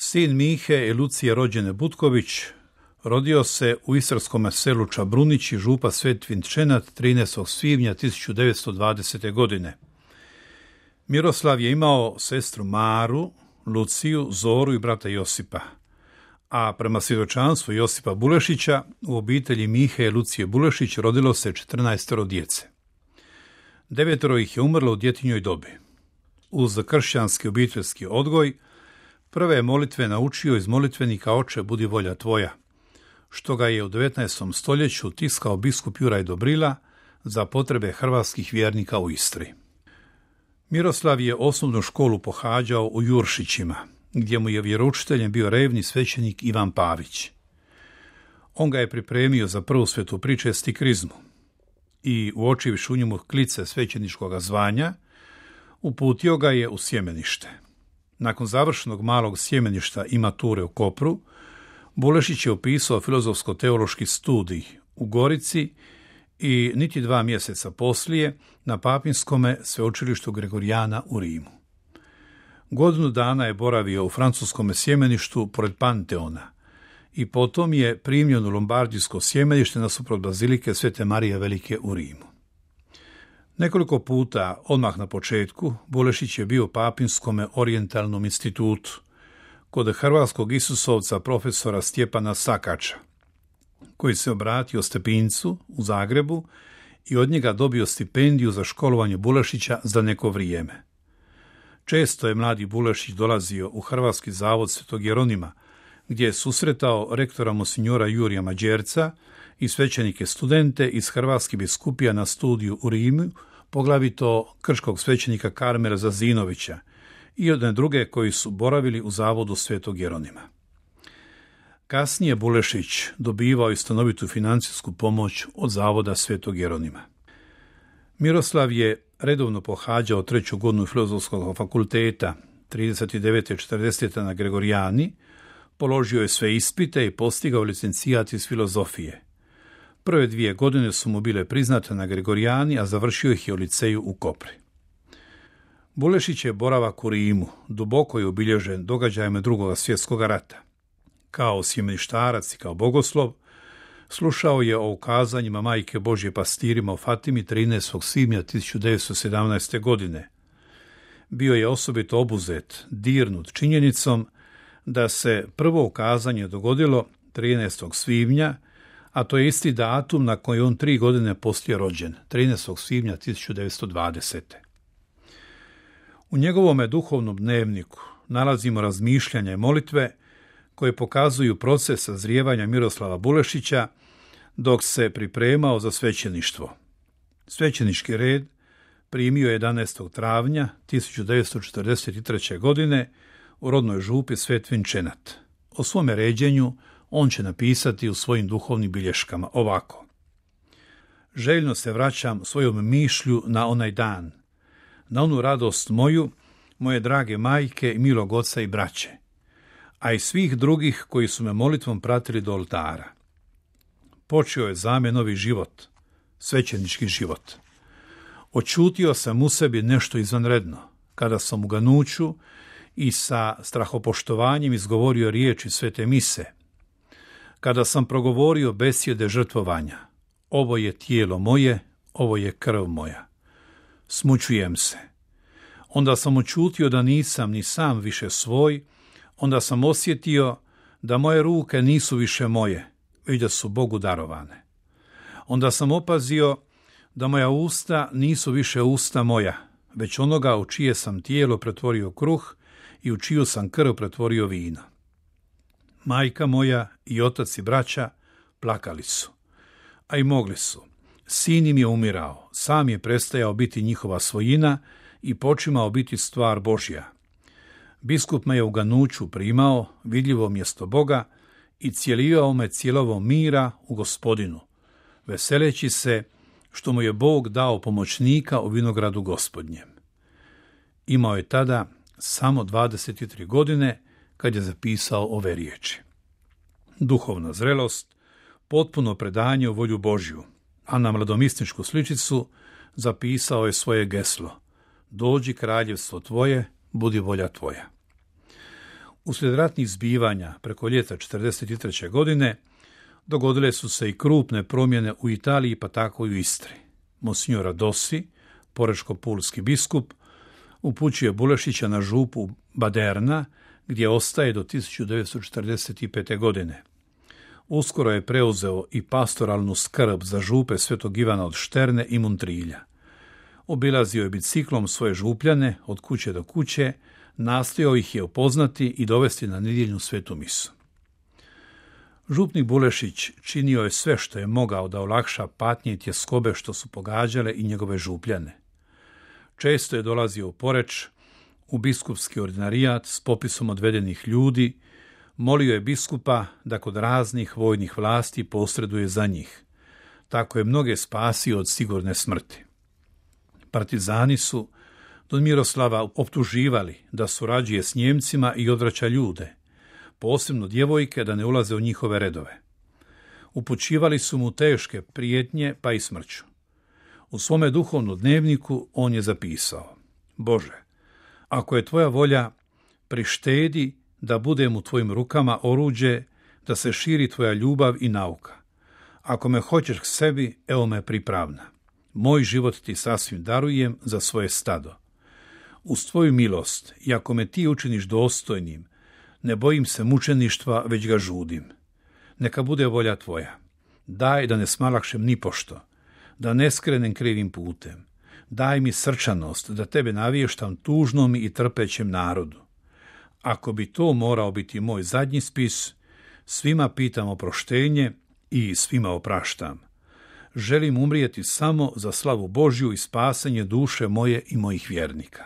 Sin Mihe i Lucije rođene Butković rodio se u istarskom selu Čabrunić i župa Svetvin Čenat 13. svibnja 1920. godine. Miroslav je imao sestru Maru, Luciju, Zoru i brata Josipa, a prema svjedočanstvu Josipa Bulešića u obitelji Mihe i Lucije Bulešić rodilo se 14 djece. 9 ih je umrlo u djetinjoj dobi. Uz kršćanski obiteljski odgoj, prve molitve naučio iz molitvenika Oče budi volja tvoja, što ga je u 19. stoljeću tiskao biskup Juraj Dobrila za potrebe hrvatskih vjernika u Istri. Miroslav je osnovnu školu pohađao u Juršićima, gdje mu je vjeroučiteljem bio revni svećenik Ivan Pavić. On ga je pripremio za prvu svetu pričest i krizmu i uočivši u njemu klice svećeničkoga zvanja, uputio ga je u sjemenište. Nakon završenog malog sjemeništa i mature u Kopru, Bulešić je upisao filozofsko-teološki studij u Gorici i niti 2 mjeseca poslije na Papinskome sveučilištu Gregorijana u Rimu. Godinu dana je boravio u francuskome sjemeništu pored Panteona i potom je primljen u lombardijsko sjemenište nasuprot bazilike Svete Marije Velike u Rimu. Nekoliko puta, odmah na početku, Bulešić je bio u Papinskome orijentalnom institutu kod hrvatskog isusovca profesora Stjepana Sakača, koji se obratio Stepincu u Zagrebu i od njega dobio stipendiju za školovanje Bulešića za neko vrijeme. Često je mladi Bulešić dolazio u Hrvatski zavod Svetog Jeronima, gdje je susretao rektora monsignora Jurija Mađerca i svećenike studente iz hrvatskih biskupija na studiju u Rimu, poglavito krškog svećenika Karmela Zazinovića i jedne druge koji su boravili u zavodu Svetog Jeronima. Kasnije Bulešić dobivao i stanovitu financijsku pomoć od zavoda Svetog Jeronima. Miroslav je redovno pohađao 3. godinu Filozofskog fakulteta 39. i 40. na Gregorijani, položio je sve ispite i postigao licencijat iz filozofije. Prve 2 godine su mu bile priznate na Gregorijani, a završio ih je u liceju u Kopri. Bulešić je boravak u Rimu duboko je obilježen događajima II. Svjetskog rata. Kao sjemeništarac i kao bogoslov, slušao je o ukazanjima Majke Božje pastirima u Fatimi 13. svibnja 1917. godine. Bio je osobito obuzet, dirnut činjenicom da se prvo ukazanje dogodilo 13. svibnja, a to je isti datum na koji on 3 godine poslije rođen, 13. svibnja 1920. U njegovome duhovnom dnevniku nalazimo razmišljanja i molitve koje pokazuju proces sazrijevanja Miroslava Bulešića dok se pripremao za svećeništvo. Svećenički red primio je 11. travnja 1943. godine u rodnoj župi Svetvin Čenat. O svome ređenju on će napisati u svojim duhovnim bilješkama ovako. Željno se vraćam svojom mišlju na onaj dan, na onu radost moju, moje drage majke i milog oca i braće, a i svih drugih koji su me molitvom pratili do oltara. Počeo je za me novi život, svećenički život. Očutio sam u sebi nešto izvanredno, kada sam u ganuću i sa strahopoštovanjem izgovorio riječi svete mise, kada sam progovorio besjede žrtvovanja, ovo je tijelo moje, ovo je krv moja. Smućujem se. Onda sam očutio da nisam ni sam više svoj, onda sam osjetio da moje ruke nisu više moje, već da su Bogu darovane. Onda sam opazio da moja usta nisu više usta moja, već onoga u čije sam tijelo pretvorio kruh i u čiju sam krv pretvorio vino. Majka moja i otac i braća plakali su, a i mogli su. Sin im je umirao, sam je prestajao biti njihova svojina i počimao biti stvar Božja. Biskup me je u ganuću primao, vidljivo mjesto Boga, i cijelio me cijelovom mira u Gospodinu, veseleći se što mu je Bog dao pomoćnika u vinogradu Gospodnjem. Imao je tada samo 23 godine kad je zapisao ove riječi. Duhovna zrelost, potpuno predanje u volju Božju, a na mladomisničku sličicu zapisao je svoje geslo: dođi kraljevstvo tvoje, budi volja tvoja. Uslijed ratnih zbivanja preko ljeta 1943. godine dogodile su se i krupne promjene u Italiji, pa tako i u Istri. Monsignor Radossi, porečko-pulski biskup, upućuje Bulešića na župu Baderna, gdje ostaje do 1945. godine. Uskoro je preuzeo i pastoralnu skrb za župe Svetog Ivana od Šterne i Montrilja. Obilazio je biciklom svoje župljane od kuće do kuće, nastojao ih je upoznati i dovesti na nedjeljnu svetu misu. Župnik Bulešić činio je sve što je mogao da olakša patnje i tjeskobe što su pogađale i njegove župljane. Često je dolazio u Poreč, u biskupski ordinarijat s popisom odvedenih ljudi, molio je biskupa da kod raznih vojnih vlasti posreduje za njih. Tako je mnoge spasio od sigurne smrti. Partizani su Don Miroslava optuživali da surađuje s Njemcima i odvraća ljude, posebno djevojke, da ne ulaze u njihove redove. Upućivali su mu teške prijetnje, pa i smrću. U svome duhovnom dnevniku on je zapisao: Bože, ako je tvoja volja, prištedi da budem u tvojim rukama oruđe, da se širi tvoja ljubav i nauka. Ako me hoćeš k sebi, evo me pripravna. Moj život ti sasvim darujem za svoje stado. Uz tvoju milost, i ako me ti učiniš dostojnim, ne bojim se mučeništva, već ga žudim. Neka bude volja tvoja. Daj da ne smalakšem nipošto, da ne skrenem krivim putem. Daj mi srčanost da tebe navještam tužnom i trpećem narodu. Ako bi to morao biti moj zadnji spis, svima pitam oproštenje i svima opraštam. Želim umrijeti samo za slavu Božju i spasanje duše moje i mojih vjernika.